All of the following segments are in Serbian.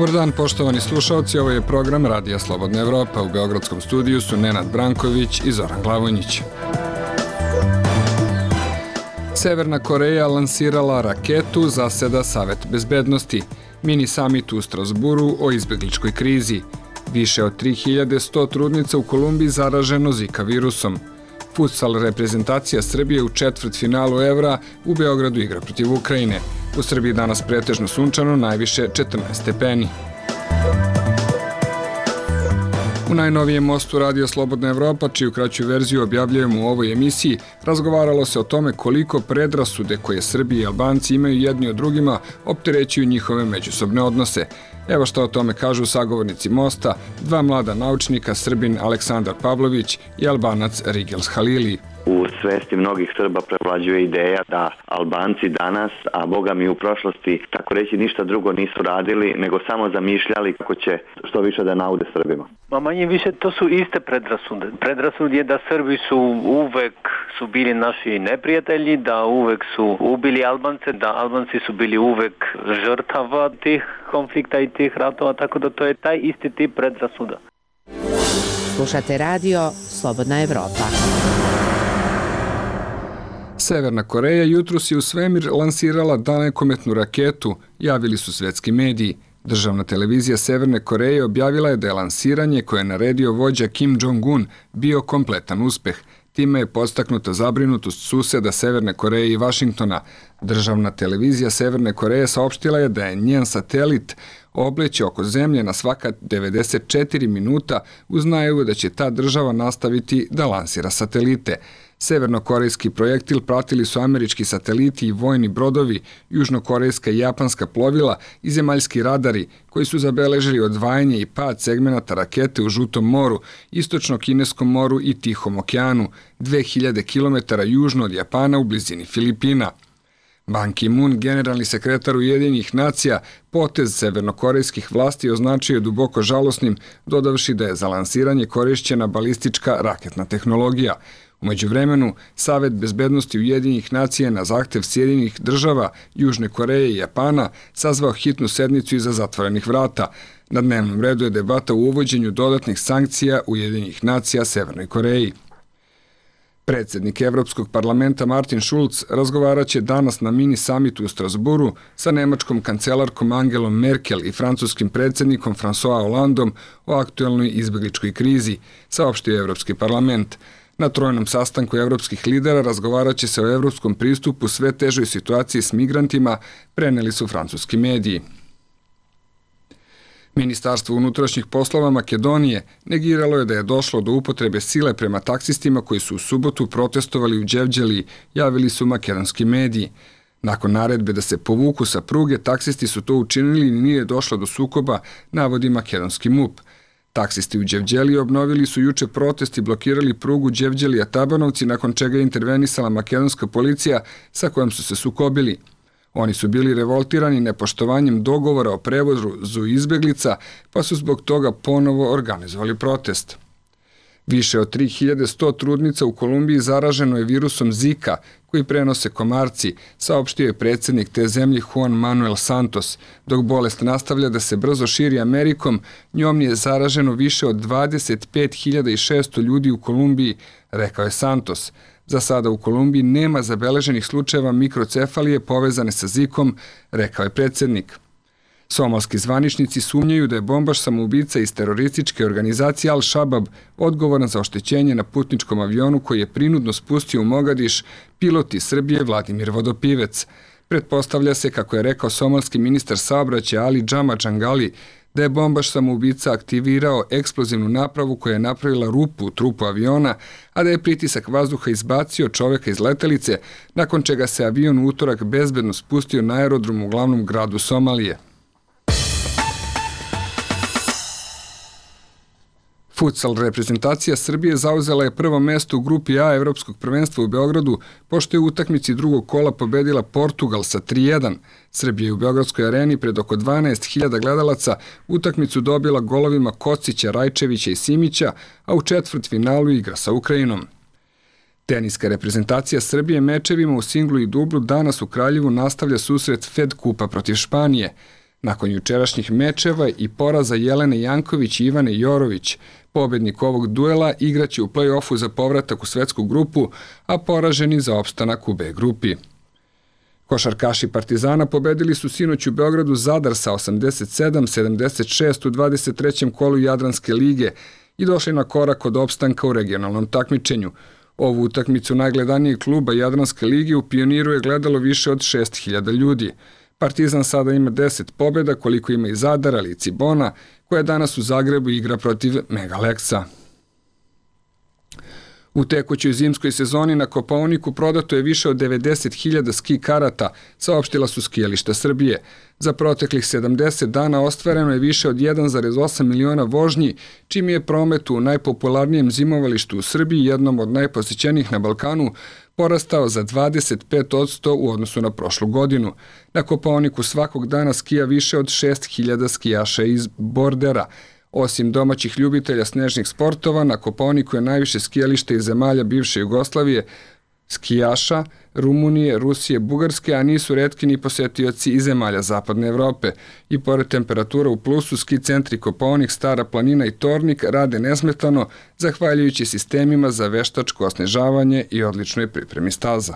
Dobar dan, poštovani slušalci, ovo je program Radija Slobodna Evropa. U Beogradskom studiju su Nenad Branković i Zoran Glavonjić. Severna Koreja lansirala raketu, zaseda Savet bezbednosti. Mini summit u Strasburu o izbegličkoj krizi. Više od 3100 trudnica u Kolumbiji zaraženo Zika virusom. Futsal reprezentacija Srbije u četvrtfinalu Evra u Beogradu igra protiv Ukrajine. U Srbiji danas pretežno sunčano, najviše 14 stepeni. U najnovijem mostu Radija Slobodna Evropa, čiju kraću verziju objavljujemo u ovoj emisiji, razgovaralo se o tome koliko predrasude koje Srbi i Albanci imaju jedni od drugima opterećuju njihove međusobne odnose. Evo što o tome kažu sagovornici mosta, dva mlada naučnika, Srbin Aleksandar Pavlović i Albanac Rigels Halili. U svesti mnogih Srba prevlađuje ideja da Albanci danas, a boga mi u prošlosti, tako reći ništa drugo nisu radili, nego samo zamišljali kako će što više da naude Srbima. Manje više to su iste predrasude. Predrasud je da Srbi uvek su bili naši neprijatelji, da uvek su ubili Albance, da Albanci su bili uvek žrtava tih konflikta i tih ratova, tako da to je taj isti tip predrasuda. Slušate radio Slobodna Evropa. Severna Koreja jutros je u svemir lansirala dalekometnu raketu, javili su svetski mediji. Državna televizija Severne Koreje objavila je da je lansiranje koje je naredio vođa Kim Jong-un bio kompletan uspeh. Time je podstaknuta zabrinutost suseda Severne Koreje i Vašingtona. Državna televizija Severne Koreje saopštila je da je njen satelit obleće oko zemlje na svaka 94 minuta uz najavu da će ta država nastaviti da lansira satelite. Severnokorejski projektil pratili su američki sateliti i vojni brodovi, južnokorejska i japanska plovila i zemaljski radari koji su zabeležili odvajanje i pad segmenata rakete u Žutom moru, Istočno-Kineskom moru i Tihom okeanu, 2000 km južno od Japana u blizini Filipina. Ban Ki-moon, generalni sekretar Ujedinjenih nacija, potez severnokorejskih vlasti označio je duboko žalosnim, dodavši da je za lansiranje korišćena balistička raketna tehnologija. U međuvremenu, Savet bezbednosti Ujedinjenih nacija na zahtev Sjedinjenih država, Južne Koreje i Japana sazvao hitnu sednicu iza zatvorenih vrata. Na dnevnom redu je debata o uvođenju dodatnih sankcija Ujedinjenih nacija Severnoj Koreji. Predsjednik Evropskog parlamenta Martin Schulz razgovaraće danas na mini summitu u Strasburu sa nemačkom kancelarkom Angelom Merkel i francuskim predsjednikom François Hollandom o aktuelnoj izbegličkoj krizi, saopštio Evropski parlament. Na trojnom sastanku evropskih lidera razgovaraće se o evropskom pristupu sve težoj situaciji s migrantima, preneli su francuski mediji. Ministarstvo unutrašnjih poslova Makedonije negiralo je da je došlo do upotrebe sile prema taksistima koji su u subotu protestovali u Đevđeliji, javili su makedonski mediji. Nakon naredbe da se povuku sa pruge, taksisti su to učinili i nije došlo do sukoba, navodi makedonski MUP. Taksisti u Đevđeliji obnovili su juče protest i blokirali prugu Đevđelija-Tabanovci, nakon čega je intervenisala makedonska policija sa kojom su se sukobili. Oni su bili revoltirani nepoštovanjem dogovora o prevozu izbeglica, pa su zbog toga ponovo organizovali protest. Više od 3100 trudnica u Kolumbiji zaraženo je virusom Zika, koji prenose komarci, saopštio je predsjednik te zemlje Juan Manuel Santos. Dok bolest nastavlja da se brzo širi Amerikom, njom je zaraženo više od 25.600 ljudi u Kolumbiji, rekao je Santos. Za sada u Kolumbiji nema zabeleženih slučajeva mikrocefalije povezane sa Zikom, rekao je predsjednik. Somalski zvaničnici sumnjaju da je bombaš samoubica iz terorističke organizacije Al-Shabab odgovoran za oštećenje na putničkom avionu koji je prinudno spustio u Mogadiš pilot iz Srbije Vladimir Vodopivec. Pretpostavlja se, kako je rekao somalski ministar saobraćaja Ali Džama Džangali, da je bombaš samoubica aktivirao eksplozivnu napravu koja je napravila rupu u trupu aviona, a da je pritisak vazduha izbacio čoveka iz letelice, nakon čega se avion u utorak bezbedno spustio na aerodrom u glavnom gradu Somalije. Futsal reprezentacija Srbije zauzela je prvo mesto u grupi A Evropskog prvenstva u Beogradu, pošto je u utakmici drugog kola pobedila Portugal sa 3:1. Srbija je u Beogradskoj areni pred oko 12.000 gledalaca utakmicu dobila golovima Kocića, Rajčevića i Simića, a u četvrtfinalu igra sa Ukrajinom. Teniska reprezentacija Srbije mečevima u singlu i dublu danas u Kraljevu nastavlja susret Fed Kupa protiv Španije. Nakon jučerašnjih mečeva i poraza Jelene Janković i Ivane Jorović, pobednik ovog duela igraće u play-offu za povratak u svetsku grupu, a poraženi za opstanak u B grupi. Košarkaši Partizana pobedili su sinoć u Beogradu Zadar sa 87-76 u 23. kolu Jadranske lige i došli na korak od opstanka u regionalnom takmičenju. Ovu utakmicu najgledanijeg kluba Jadranske lige u Pioniru je gledalo više od 6.000 ljudi. Partizan sada ima 10 pobjeda, koliko ima i Zadar, ali i Cibona, koja danas u Zagrebu igra protiv Megaleksa. U tekućoj zimskoj sezoni na Kopaoniku prodato je više od 90.000 ski karata, saopštila su Skijališta Srbije. Za proteklih 70 dana ostvareno je više od 1,8 miliona vožnji, čim je promet u najpopularnijem zimovalištu u Srbiji, jednom od najposećenijih na Balkanu, porastao za 25% u odnosu na prošlu godinu. Na Kopaoniku svakog dana skija više od 6.000 skijaša iz Bordera. Osim domaćih ljubitelja snežnih sportova, na Kopaoniku je najviše skijališta iz zemalja bivše Jugoslavije, skijaša, Rumunije, Rusije, Bugarske, a nisu retki ni posetioci iz zemalja Zapadne Evrope. I pored temperatura u plusu, ski centri Kopaonik, Stara planina i Tornik rade nesmetano, zahvaljujući sistemima za veštačko osnežavanje i odličnoj pripremi staza.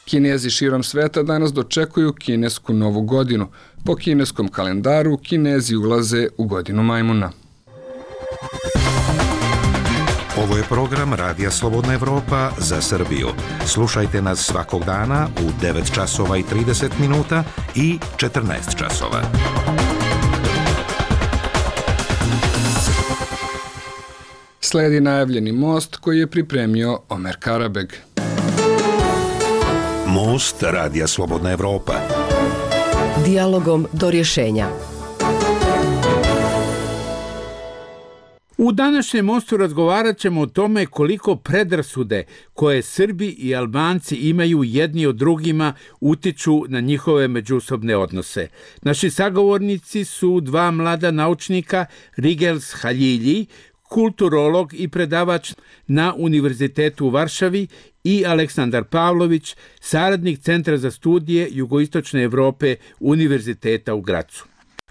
Kinezi širom sveta danas dočekuju kinesku novu godinu. Po kineskom kalendaru Kinezi ulaze u godinu majmuna. Ovo je program Radija Slobodna Evropa za Srbiju. Slušajte nas svakog dana u 9 časova i 30 minuta i 14 časova. Sledi najavljeni most koji je pripremio Omer Karabeg. Most Radija Slobodna Evropa. Dijalogom do rješenja. U današnjem mostu razgovarat ćemo o tome koliko predrasude koje Srbi i Albanci imaju jedni od drugima utiču na njihove međusobne odnose. Naši sagovornici su dva mlada naučnika, Rigels Haljilji, kulturolog i predavač na Univerzitetu u Varšavi, i Aleksandar Pavlović, saradnik Centra za studije Jugoistočne Evrope Univerziteta u Gracu.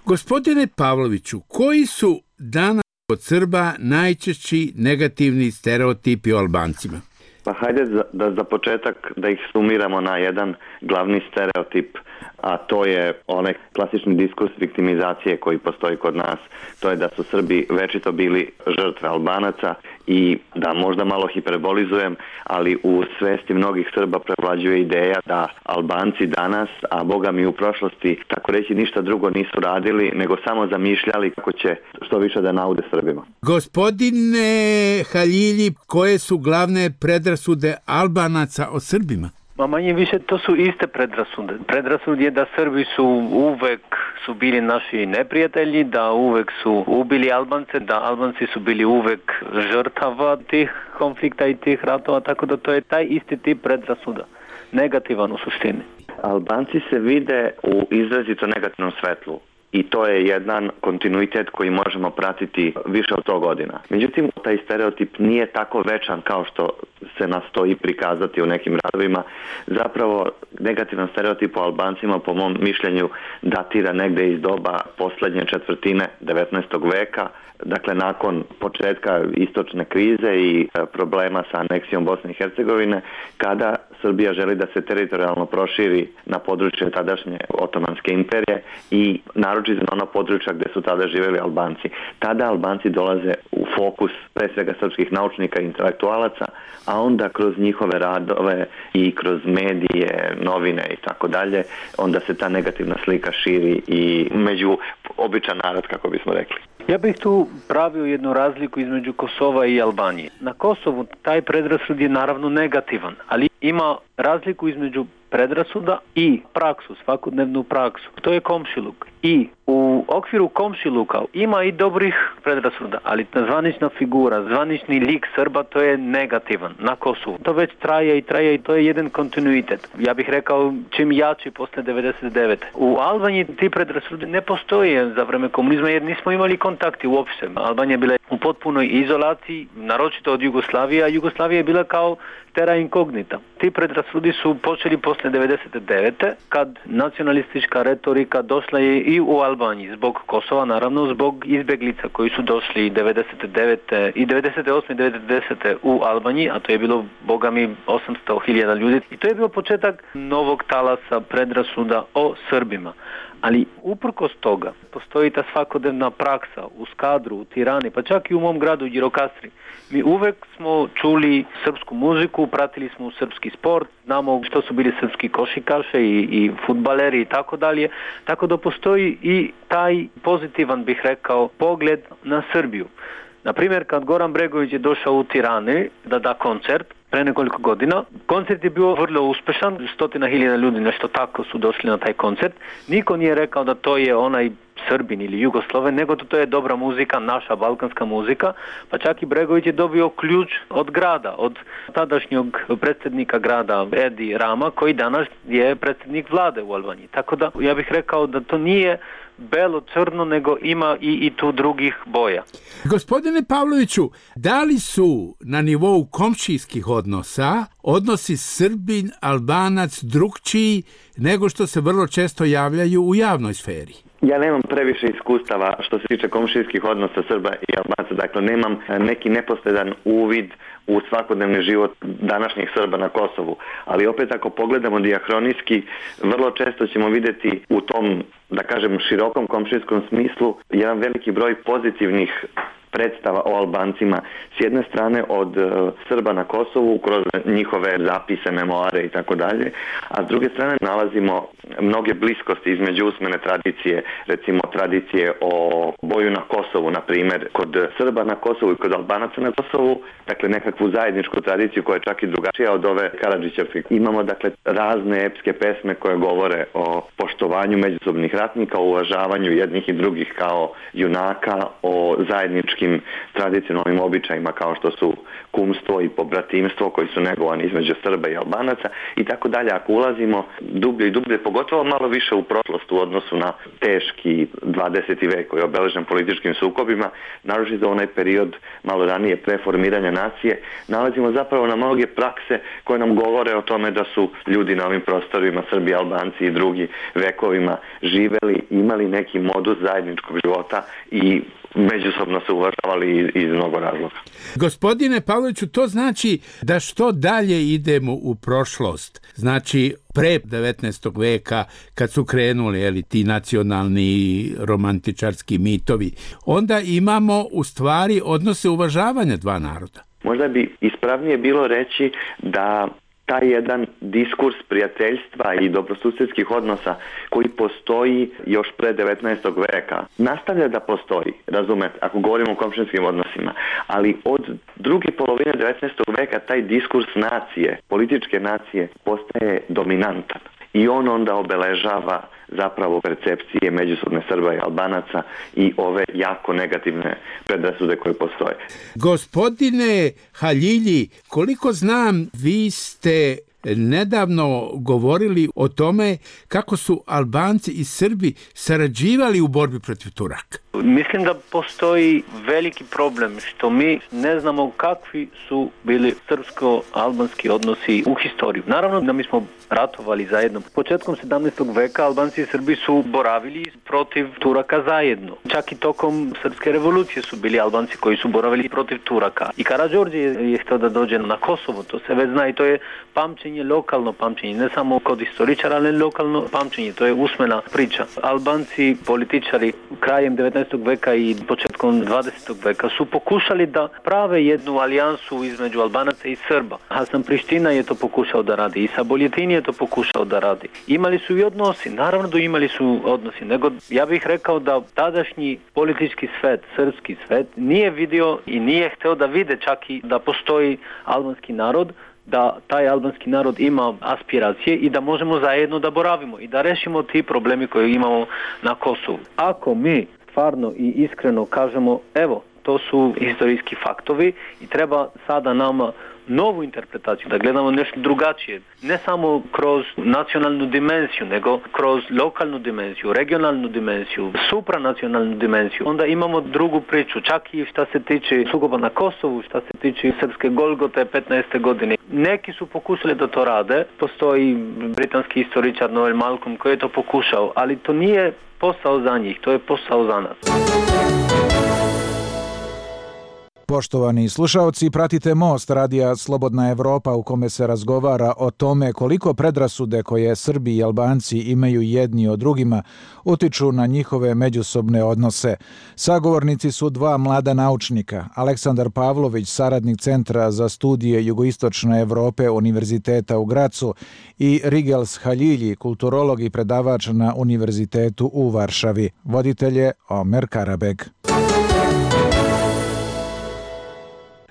Gospodine Pavloviću, koji su danas od Srba najčešći negativni stereotipi o Albancima? Pa hajde da za početak da ih sumiramo na jedan glavni stereotip, a to je onaj klasični diskurs viktimizacije koji postoji kod nas. To je da su Srbi večito bili žrtve Albanaca i da možda malo hiperbolizujem, ali u svesti mnogih Srba prevlađuje ideja da Albanci danas, a Boga mi u prošlosti, tako reći ništa drugo nisu radili, nego samo zamišljali kako će što više da naude Srbima. Gospodine Haljilji, koje su glavne predrasude Albanaca o Srbima? Ma manje više to su iste predrasude. Predrasud je da Srbi uvek su bili naši neprijatelji, da uvek su ubili Albance, da Albanci su bili uvek žrtava tih konflikta i tih ratova, tako da to je taj isti tip predrasuda. Negativan u suštini. Albanci se vide u izrazito negativnom svetlu. I to je jedan kontinuitet koji možemo pratiti više od 100 godina. Međutim, taj stereotip nije tako večan kao što se nastoji prikazati u nekim radovima. Zapravo, negativan stereotip o Albancima, po mom mišljenju, datira negde iz doba poslednje četvrtine 19. veka, dakle nakon početka istočne krize i problema sa aneksijom Bosne i Hercegovine, kada Srbija želi da se teritorijalno proširi na područje tadašnje Otomanske imperije i naročito na ona područja gde su tada živjeli Albanci. Tada Albanci dolaze u fokus pre svega srpskih naučnika i intelektualaca, a onda kroz njihove radove i kroz medije, novine i tako dalje, onda se ta negativna slika širi i među običan narod, kako bismo rekli. Ja bih tu pravio jednu razliku između Kosova i Albanije. Na Kosovu taj predrasud je naravno negativan, ali ima razliku između predrasuda i praksu, svakodnevnu praksu. To je komšiluk. I u U okviru komšiluka ima i dobrih predrasuda, ali zvanična figura, zvanični lik Srba, to je negativan na Kosovu. To već traje i to je jedan kontinuitet. Ja bih rekao čim jači posle 99. U Albaniji ti predrasude ne postoje za vreme komunizma jer nismo imali kontakti uopšte. Albanija je bila u potpunoj izolaciji, naročito od Jugoslavije, a Jugoslavija je bila kao terra incognita. Ti predrasudi su počeli posle 99. kad nacionalistička retorika došla je i u Albaniji zbog Kosova, naravno zbog izbeglica koji su došli 99. i 98. i 90. u Albaniji, a to je bilo, boga mi, 800.000 ljudi. I to je bio početak novog talasa predrasuda o Srbima. Ali uprkos toga postoji ta svakodnevna praksa u Skadru, u Tirani, pa čak i u mom gradu Girokastri. Mi uvek smo čuli srpsku muziku, pratili smo srpski sport, znamo što su bili srpski košarkaši i fudbaleri i tako dalje. Tako da postoji i taj pozitivan, bih rekao, pogled na Srbiju. Naprimjer, kad Goran Bregović je došao u Tirani da da koncert, pre nekoliko godina. Koncert je bio vrlo uspešan, 100.000 ljudi, nešto tako su došli na taj koncert. Niko nije rekao da to je onaj Srbin ili Jugosloven, nego to je dobra muzika, naša balkanska muzika, pa čak i Bregović je dobio ključ od grada, od tadašnjeg predsjednika grada Edi Rama, koji danas je predsjednik vlade u Albaniji. Tako da ja bih rekao da to nije belo-crno, nego ima i tu drugih boja. Gospodine Pavloviću, da li su na nivou komšijskih odnosa odnosi Srbin-Albanac drugčiji nego što se vrlo često javljaju u javnoj sferi? Ja nemam previše iskustava što se tiče komšijskih odnosa Srba i Albanaca, dakle nemam neki neposredan uvid u svakodnevni život današnjih Srba na Kosovu, ali opet ako pogledamo dijahronijski, vrlo često ćemo vidjeti u tom, da kažem, širokom komšijskom smislu jedan veliki broj pozitivnih predstava o Albancima, s jedne strane od Srba na Kosovu kroz njihove zapise, memoare i tako dalje, a s druge strane nalazimo mnoge bliskosti između usmene tradicije, recimo tradicije o boju na Kosovu, na primjer, kod Srba na Kosovu i kod Albanaca na Kosovu, dakle nekakvu zajedničku tradiciju koja je čak i drugačija od ove Karadžićevske. Imamo dakle razne epske pesme koje govore o poštovanju međusobnih ratnika, o uvažavanju jednih i drugih kao junaka, o zajedničkim tradicionalnim običajima kao što su kumstvo i pobratimstvo koji su negovani između Srba i Albanaca i tako dalje. Ako ulazimo dublje i dublje, pogotovo malo više u prošlost u odnosu na teški 20. vek koji je obeležen političkim sukobima, naročito onaj period malo ranije preformiranja nacije, nalazimo zapravo na mnoge prakse koje nam govore o tome da su ljudi na ovim prostorima, Srbi, Albanci i drugi vekovima živeli, imali neki modus zajedničkog života i međusobno se uvažavali iz mnogo razloga. Gospodine Pavloviću, to znači da što dalje idemo u prošlost, znači pre 19. veka kad su krenuli ti nacionalni romantičarski mitovi, onda imamo u stvari odnose uvažavanja dva naroda. Možda bi ispravnije bilo reći da taj jedan diskurs prijateljstva i dobrosusjedskih odnosa koji postoji još pre 19. veka nastavlja da postoji, razumete, ako govorimo o komšinskim odnosima, ali od druge polovine 19. veka taj diskurs nacije, političke nacije postaje dominantan i on onda obeležava zapravo percepcije međusobne Srba i Albanaca i ove jako negativne predrasude koje postoje. Gospodine Haljilji, koliko znam, vi ste nedavno govorili o tome kako su Albanci i Srbi sarađivali u borbi protiv Turaka. Mislim da postoji veliki problem što mi ne znamo kakvi su bili srpsko-albanski odnosi u historiju. Naravno da mi smo ratovali zajedno. Početkom 17. veka Albanci i Srbi su boravili protiv Turaka zajedno. Čak i tokom Srpske revolucije su bili Albanci koji su boravili protiv Turaka. I Karađorđe je htio da dođe na Kosovo, to se već zna i to je pamćenje, lokalno pamćenje, ne samo kod istoričara, ali lokalno pamćenje, to je usmena priča. Albanci, političari krajem 19. veka i početkom 20. veka su pokušali da prave jednu alijansu između Albanaca i Srba. Hasan Priština je to pokušao da radi i Saboljetin je to pokušao da radi. Imali su i odnosi, naravno da imali su odnosi, nego ja bih rekao da tadašnji politički svet, srpski svet, nije vidio i nije hteo da vide čak i da postoji albanski narod, da taj albanski narod ima aspiracije i da možemo zajedno da boravimo i da rešimo ti problemi koje imamo na Kosovu. Ako mi stvarno i iskreno kažemo, evo, to su historijski faktovi i treba sada nama novu interpretaciju, da gledamo nešto drugačije, ne samo kroz nacionalnu dimenziju, nego kroz lokalnu dimenziju, regionalnu dimenziju, supranacionalnu dimenziju. Onda imamo drugu priču, čak i šta se tiče sukoba na Kosovu, šta se tiče srpske Golgote 15. godine. Neki su pokušali da to rade, postoji britanski historičar Noel Malcolm koji je to pokušao, ali to nije posao za njih, to je posao za nas. Poštovani slušaoci, pratite Most radija Slobodna Evropa u kome se razgovara o tome koliko predrasude koje Srbi i Albanci imaju jedni o drugima utiču na njihove međusobne odnose. Sagovornici su dva mlada naučnika, Aleksandar Pavlović, saradnik Centra za studije jugoistočne Evrope Univerziteta u Gracu i Rigels Haljilji, kulturolog i predavač na Univerzitetu u Varšavi. Voditelj je Omer Karabeg.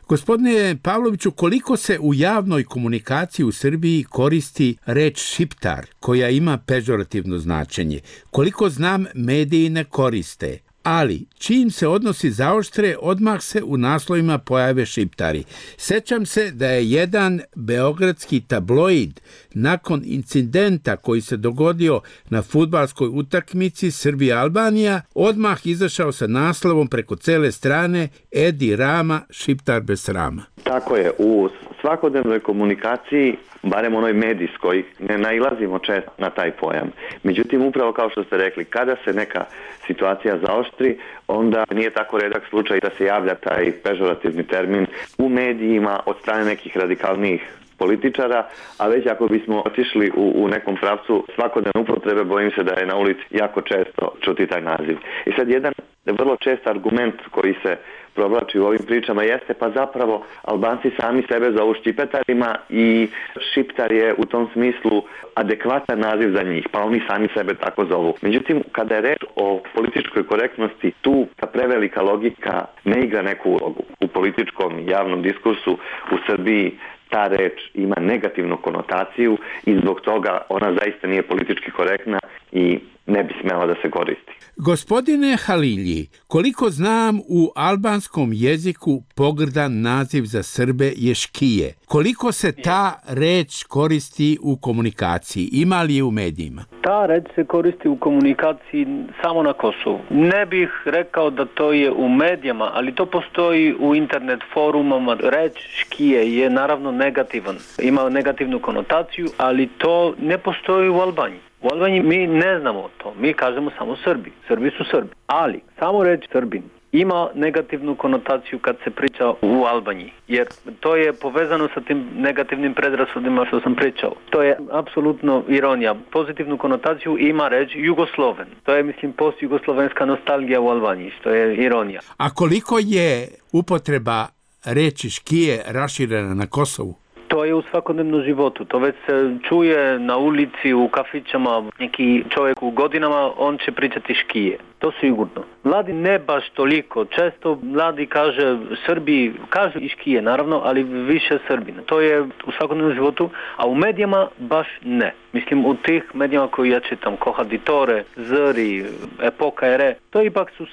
Gospodine Pavloviću, koliko se u javnoj komunikaciji u Srbiji koristi reč šiptar, koja ima pežorativno značenje? Koliko znam, mediji ne koriste, ali čim se odnosi zaoštre, odmah se u naslovima pojave šiptari. Sećam se da je jedan beogradski tabloid nakon incidenta koji se dogodio na fudbalskoj utakmici Srbija-Albanija odmah izašao sa naslovom preko cele strane Edi Rama, šiptar bez srama. Tako je, u svakodnevnoj komunikaciji, barem onoj medijskoj, ne nailazimo često na taj pojam. Međutim, upravo kao što ste rekli, kada se neka situacija zaoštri, onda nije tako redak slučaj da se javlja taj pežorativni termin u medijima od strane nekih radikalnijih političara, a već ako bismo otišli u nekom pravcu svakodnevne upotrebe, bojim se da je na ulici jako često čuti taj naziv. I sad jedan vrlo čest argument koji se provlači u ovim pričama jeste pa zapravo Albanci sami sebe zovu ščipetarima i šiptar je u tom smislu adekvatan naziv za njih, pa oni sami sebe tako zovu. Međutim, kada je reč o političkoj korektnosti, tu ta prevelika logika ne igra neku ulogu. U političkom i javnom diskursu u Srbiji ta reč ima negativnu konotaciju i zbog toga ona zaista nije politički korektna i ne bi smela da se koristi. Gospodine Halilji, koliko znam, u albanskom jeziku pogrdan naziv za Srbe je škije. Koliko se ta reč koristi u komunikaciji? Ima li je u medijima? Ta reč se koristi u komunikaciji samo na Kosovu. Ne bih rekao da to je u medijama, ali to postoji u internet forumama. Reč škije je naravno negativan. Ima negativnu konotaciju, ali to ne postoji u Albaniji. U Albaniji mi ne znamo to, mi kažemo samo Srbi. Srbi su Srbi. Ali samo reč Srbin ima negativnu konotaciju kad se priča u Albaniji, jer to je povezano sa tim negativnim predrasudima što sam pričao. To je apsolutno ironija. Pozitivnu konotaciju ima reč Jugosloven. To je, mislim, postjugoslovenska nostalgija u Albaniji, što je ironija. A koliko je upotreba reči škije raširena na Kosovu? To je u svakodnevnom životu. To već se čuje na ulici, u kafićama. Neki čovjek u godinama, on će pričati škije. To sigurno. Mladi ne baš toliko. Često mladi kaže Srbi, kažu i škije naravno, ali više Srbina. To je u svakodnevnom životu, a u medijama baš ne. Mislim, u tih medijama koji ja čitam, Kohaditore, Zri, Epoka Ere, to ipak su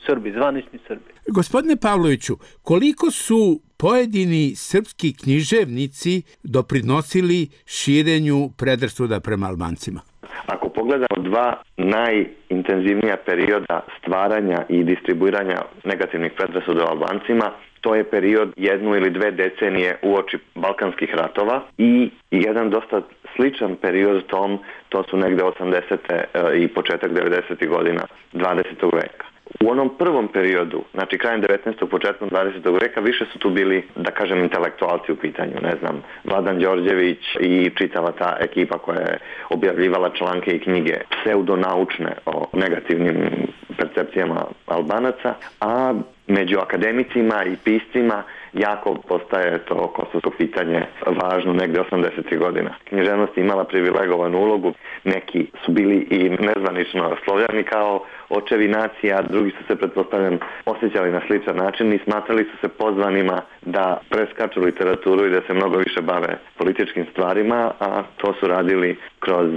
Srbi, zvanični Srbi. Gospodine Pavloviću, koliko su pojedini srpski književnici doprinosili širenju predrasuda prema Albancima? Ako pogledamo dva najintenzivnija perioda stvaranja i distribuiranja negativnih predrasuda o Albancima, to je period 1 ili 2 decenije uoči Balkanskih ratova i jedan dosta sličan period tom, to su negde 80. i početak 90. godina 20. veka. U onom prvom periodu, znači krajem 19. početkom 20. veka, više su tu bili, da kažem, intelektualci u pitanju, ne znam, Vladan Đorđević i čitava ta ekipa koja je objavljivala članke i knjige pseudonaučne o negativnim percepcijama Albanaca, a među akademicima i piscima jako postaje to kosovsko pitanje važno negde 80. godina. Književnost je imala privilegovanu ulogu, neki su bili i nezvanično Slovljani kao očevi nacija, drugi su se, pretpostavljam, osjećali na sličan način i smatrali su se pozvanima da preskaču literaturu i da se mnogo više bave političkim stvarima, a to su radili kroz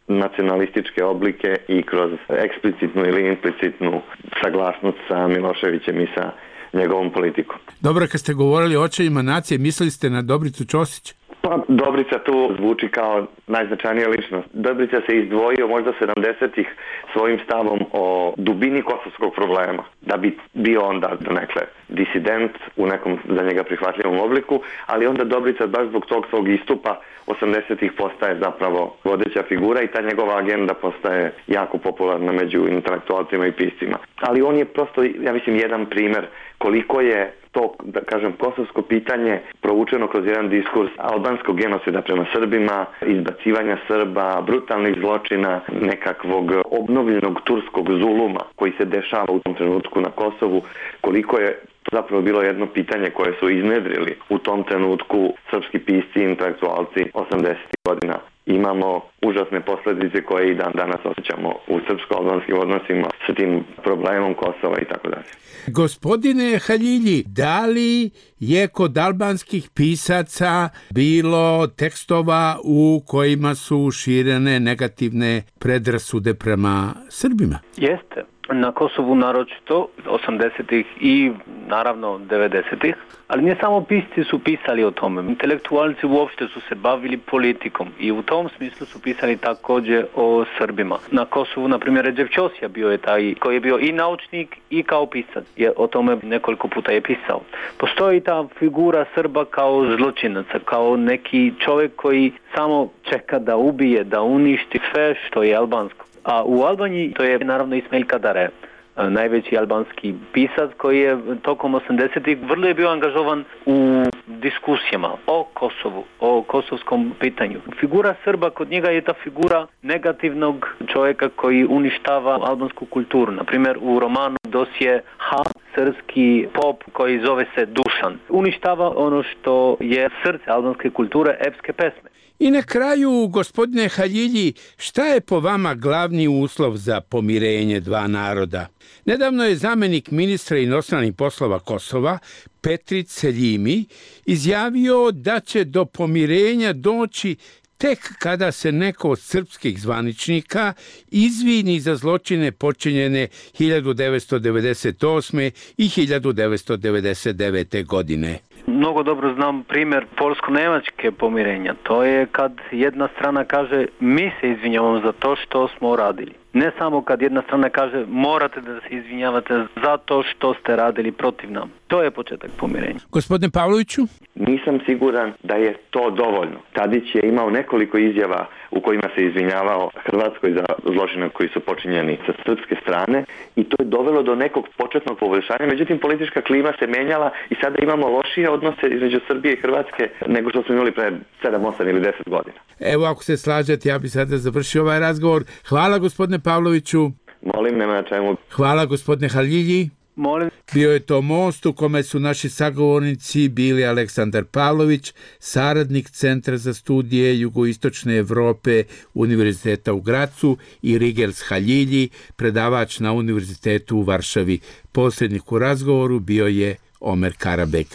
nacionalističke oblike i kroz eksplicitnu ili implicitnu saglasnost sa Miloševićem i sa njegovom politikom. Dobro, kad ste govorili o očevima nacije, mislili ste na Dobricu Ćosić? Pa Dobrica tu zvuči kao najznačajnija ličnost. Dobrica se izdvojio možda 70-ih svojim stavom o dubini kosovskog problema, da bi bio onda donekle disident u nekom za njega prihvatljivom obliku, ali onda Dobrica baš zbog tog svog istupa 80-ih postaje zapravo vodeća figura i ta njegova agenda postaje jako popularna među intelektualcima i piscima. Ali on je prosto, ja mislim, jedan primer koliko je to, da kažem, kosovsko pitanje provučeno kroz jedan diskurs albanskog genocida prema Srbima, izbacivanja Srba, brutalnih zločina, nekakvog obnovljenog turskog zuluma koji se dešava u tom trenutku na Kosovu, koliko je zapravo bilo jedno pitanje koje su iznedrili u tom trenutku srpski pisci i intelektualci 80. godina. Imamo užasne posljedice koje i dan danas osjećamo u srpsko-albanskim odnosima sa tim problemom Kosova i tako dalje. Gospodine Haljilji, da li je kod albanskih pisaca bilo tekstova u kojima su širene negativne predrasude prema Srbima? Jeste. Na Kosovu naročito 80-ih i naravno 90-ih, ali ne samo pisci su pisali o tome. Intelektualci uopšte su se bavili politikom i u tom smislu su pisali također o Srbima. Na Kosovu, na primjer, Redžep Ćosija bio je taj koji je bio i naučnik i kao pisac. O tome nekoliko puta je pisao. Postoji ta figura Srba kao zločinaca, kao neki čovjek koji samo čeka da ubije, da uništi sve što je albansko. A u Albaniji to je naravno Ismail Kadare, najveći albanski pisac koji je tokom 80-ih vrlo je bio angažovan u diskusijama o Kosovu, o kosovskom pitanju. Figura Srba kod njega je ta figura negativnog čovjeka koji uništava albansku kulturu. Naprimjer, u romanu Dosje H, srpski pop koji zove se Dušan. Uništava ono što je srce albanske kulture, epske pesme. I na kraju, gospodine Haljilji, šta je po vama glavni uslov za pomirenje dva naroda? Nedavno je zamjenik ministra inostranih poslova Kosova, Petrit Seljimi, izjavio da će do pomirenja doći tek kada se neko od srpskih zvaničnika izvini za zločine počinjene 1998. i 1999. godine. Mnogo dobro znam primjer polsko-nemačke pomirenja. To je kad jedna strana kaže mi se izvinjavamo za to što smo radili. Ne samo kad jedna strana kaže morate da se izvinjavate za to što ste radili protiv nam. To je početak pomirenja. Gospodine Pavloviću? Nisam siguran da je to dovoljno. Tadić je imao nekoliko izjava u kojima se izvinjavao Hrvatskoj za zločine koji su počinjeni sa srpske strane i to je dovelo do nekog početnog poboljšanja. Međutim, politička klima se menjala i sada imamo lošije odnose između Srbije i Hrvatske nego što smo imali pre 7, 8 ili 10 godina. Evo, ako se slažete, ja bih sada završio ovaj razgovor. Hvala, gospodine Pavloviću. Molim, nema na čemu. Hvala, gospodine Haljilji. Molim. Bio je to most u kome su naši sagovornici bili Aleksandar Pavlović, saradnik Centra za studije Jugoistočne Evrope Univerziteta u Gracu, i Rigels Haljilji, predavač na Univerzitetu u Varšavi. Posrednik u razgovoru bio je Omer Karabek.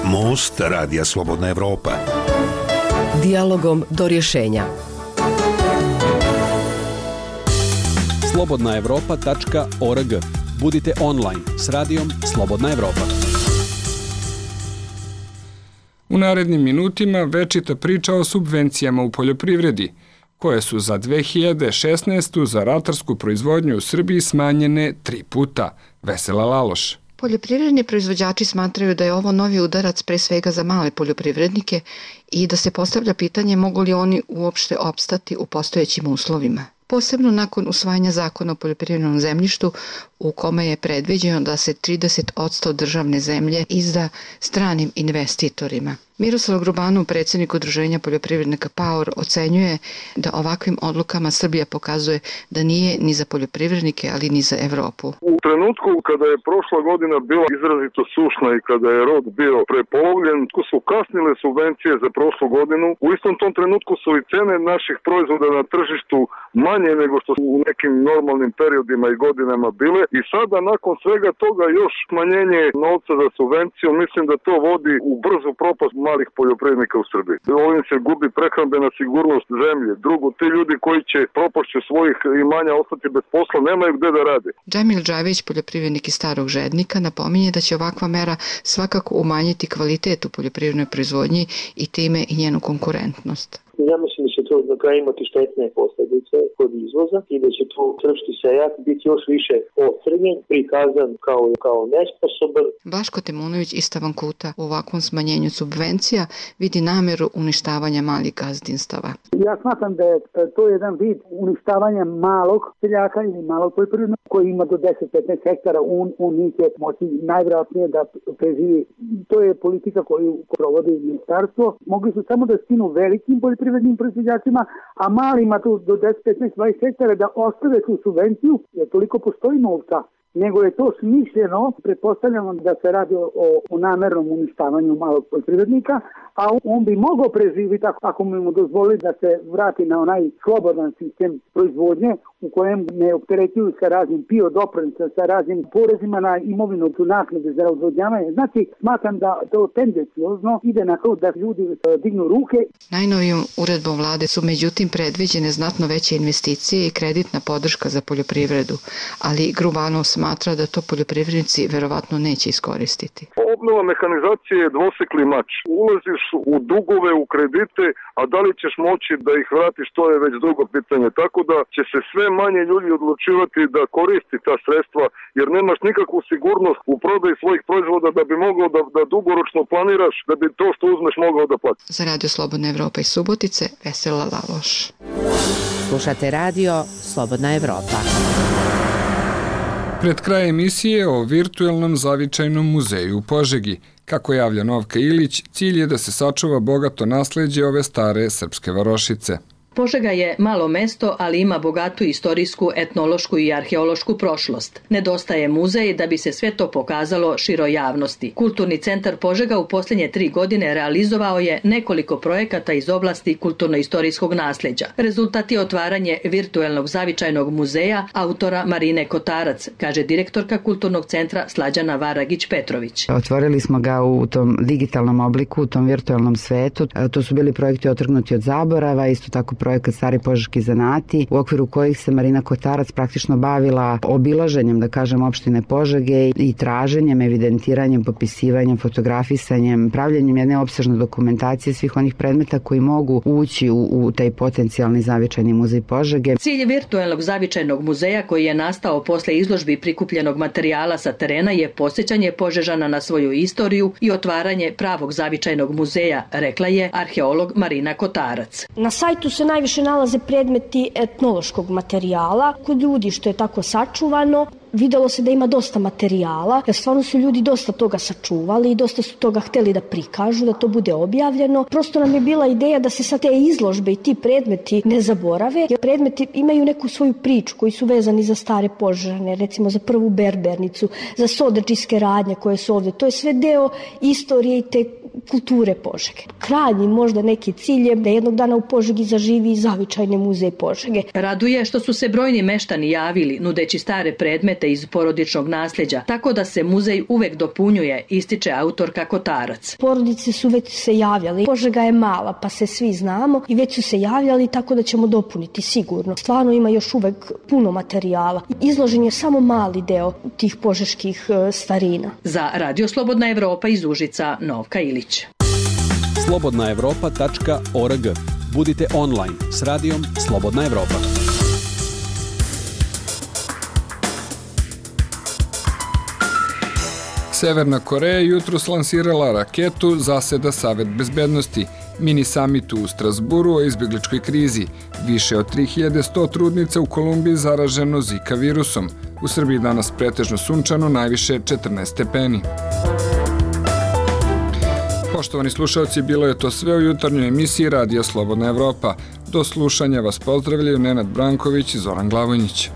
Most Radija Slobodna Evropa. Dijalogom do rješenja. slobodnaevropa.org. Budite online s radijom Slobodna Evropa. U narednim minutima večita priča o subvencijama u poljoprivredi, koje su za 2016. za ratarsku proizvodnju u Srbiji smanjene 3 puta. Vesela Laloš. Poljoprivredni proizvođači smatraju da je ovo novi udarac pre svega za male poljoprivrednike i da se postavlja pitanje mogu li oni uopšte opstati u postojećim uslovima. Posebno nakon usvajanja zakona o poljoprivrednom zemljištu u kome je predviđeno da se 30% državne zemlje izda stranim investitorima. Miroslav Grubanov, predsjednik Udruženja poljoprivrednika PAOR, ocenjuje da ovakvim odlukama Srbija pokazuje da nije ni za poljoprivrednike, ali ni za Evropu. U trenutku kada je prošla godina bila izrazito sušna i kada je rod bio prepolovljen, su kasnile subvencije za prošlu godinu. U istom tom trenutku su i cene naših proizvoda na tržištu manje nego što su u nekim normalnim periodima i godinama bile i sada nakon svega toga još smanjenje novca za subvenciju, mislim da to vodi u brzu propast malih poljoprivrednika u Srbiji. Ovim se gubi prehrambena sigurnost zemlje. Drugo, ti ljudi koji će propašću svojih imanja ostati bez posla, nemaju gde da rade. Džemil Džavić, poljoprivrednik iz Starog Žednika, napominje da će ovakva mera svakako umanjiti kvalitet u poljoprivrednoj proizvodnji i time i njenu konkurentnost. Ja mislim da će to na kraju imati štetne posljedice kod izvoza i da će tu srpski seljak biti još više ocrnjen, prikazan kao nesposoban. Blaško Temunović iz Tavankuta u ovakvom smanjenju subvencija vidi nameru uništavanja malih gazdinstava. Ja smatram da je to jedan vid uništavanja malog seljaka ili malog poljoprivrednog koji ima do 10-15 hektara, on neće moći najvjerojatnije da preživi. To je politika koju provodi ministarstvo. Mogli su samo da skinu velikim poljoprivrednim proizvođačima, a malima tu do 10, 15, 20 hektara da ostave tu subvenciju, jer toliko postoji novca. Nego je to smišljeno, pretpostavljamo da se radi o namernom uništavanju malog poljoprivrednika, a on bi mogao preživiti ako mu dozvoli da se vrati na onaj slobodan sistem proizvodnje u kojem ne opterećuju sa raznim PIO doprinosima, sa raznim porezima na imovinu, tu naknade za odvodnjavanje. Znači, smatram da to tendenciozno ide na to da ljudi dignu ruke. Najnovijom uredbom vlade su međutim predviđene znatno veće investicije i kreditna podrška za poljoprivredu, ali Grubanov smatra da to poljoprivrednici verovatno neće iskoristiti. Obnova mehanizacije je dvosekli mač. Ulaziš u dugove, u kredite, a da li ćeš moći da ih vratiš, to je već drugo pitanje. Tako da će se sve manje ljudi odlučivati da koristi ta sredstva, jer nemaš nikakvu sigurnost u prodaji svojih proizvoda da bi mogao da dugoročno planiraš, da bi to što uzmeš mogao da platiš. Za Radio Slobodna Evropa iz Subotice, Vesela Laloš. Slušate radio Slobodna Evropa. Pred kraj emisije o virtuelnom zavičajnom muzeju u Požegi. Kako javlja Novka Ilić, cilj je da se sačuva bogato nasleđe ove stare srpske varošice. Požega je malo mesto, ali ima bogatu istorijsku, etnološku i arheološku prošlost. Nedostaje muzej da bi se sve to pokazalo široj javnosti. Kulturni centar Požega u posljednje 3 godine realizovao je nekoliko projekata iz oblasti kulturno-istorijskog nasleđa. Rezultat je otvaranje virtuelnog zavičajnog muzeja autora Marine Kotarac, kaže direktorka Kulturnog centra Slađana Varagić-Petrović. Otvorili smo ga u tom digitalnom obliku, u tom virtualnom svetu. To su bili projekti otrgnuti od zaborava, isto tako projekat Stari požeški zanati, u okviru kojih se Marina Kotarac praktično bavila obilaženjem, da kažem, opštine Požege i traženjem, evidentiranjem, popisivanjem, fotografisanjem, pravljenjem jedne opsežne dokumentacije svih onih predmeta koji mogu ući u taj potencijalni zavičajni muzej Požege. Cilj virtuelnog zavičajnog muzeja koji je nastao posle izložbi prikupljenog materijala sa terena je podsjećanje Požežana na svoju istoriju i otvaranje pravog zavičajnog muzeja, rekla je arheolog Marina Kotarac. Na sajtu se najviše nalaze predmeti etnološkog materijala. Kod ljudi što je tako sačuvano, videlo se da ima dosta materijala, jer stvarno su ljudi dosta toga sačuvali i dosta su toga hteli da prikažu, da to bude objavljeno. Prosto nam je bila ideja da se sa te izložbe i ti predmeti ne zaborave, jer predmeti imaju neku svoju priču koji su vezani za stare Požane, recimo za prvu berbernicu, za sodačijske radnje koje su ovdje. To je sve deo istorije i te kulture Požege. Krajnji možda neki cilj je da jednog dana u Požegi zaživi zavičajni muzej Požege. Raduje što su se brojni meštani javili nudeći stare predmete iz porodičnog nasljeđa, tako da se muzej uvek dopunjuje, ističe autorka Kotarac. Porodice su već se javljali. Požega je mala, pa se svi znamo i već su se javljali, tako da ćemo dopuniti sigurno. Stvarno ima još uvek puno materijala. Izložen je samo mali deo tih požeških starina. Za Radio Slobodna Evropa iz Užica, Novka Ilić. slobodnaevropa.org. Budite online s radijom Slobodna Evropa. Severna Koreja jutros lansirala raketu, zaseda Savet bezbednosti. mini samitu u Strasburu o izbjegličkoj krizi, više od 3100 trudnica u Kolumbiji zaraženo Zika virusom. U Srbiji danas pretežno sunčano, najviše 14 stepeni. Poštovani slušalci, bilo je to sve u jutarnjoj emisiji Radija Slobodna Evropa. Do slušanja vas pozdravljaju Nenad Branković i Zoran Glavonjić.